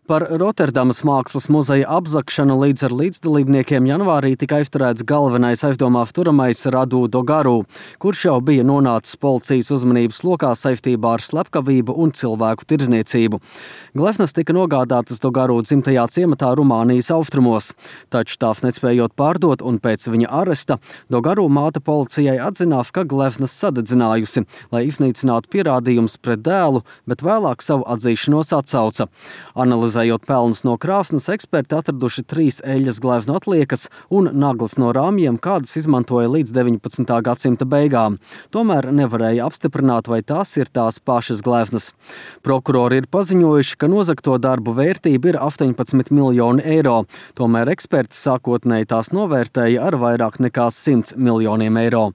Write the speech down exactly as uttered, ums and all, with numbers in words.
Par Rotterdamas mākslas muzeja apzagšanu līdz ar līdzdalībniekiem janvārī tika aizturēts galvenais aizdomās turamais Radu Dogaru, kurš jau bija nonācis policijas uzmanības lokā saistībā ar slepkavību un cilvēku tirdzniecību. Gleznas tika nogādātas Dogaru dzimtajā ciematā Rumānijas austrumos, taču tās nespējot pārdot un pēc viņa aresta, Dogaru māte policijai atzinās, ka gleznas sadedzinājusi, lai iznīcinātu pierādījumus pret dēlu, bet vēlāk savu atzīšanos atsauca. Analizējot pelnus no krāsnes, eksperti atraduši trīs eļļas gleznu atliekas un naglas no rāmjiem, kādas izmantoja līdz deviņpadsmitā gadsimta beigām. Tomēr nevarēja apstiprināt, vai tās ir tās pašas gleznas. Prokurori ir paziņojuši, ka nozagto darbu vērtība ir astoņpadsmit miljoni eiro. Tomēr eksperti sākotnēji tās novērtēja ar vairāk nekā simts miljoniem eiro.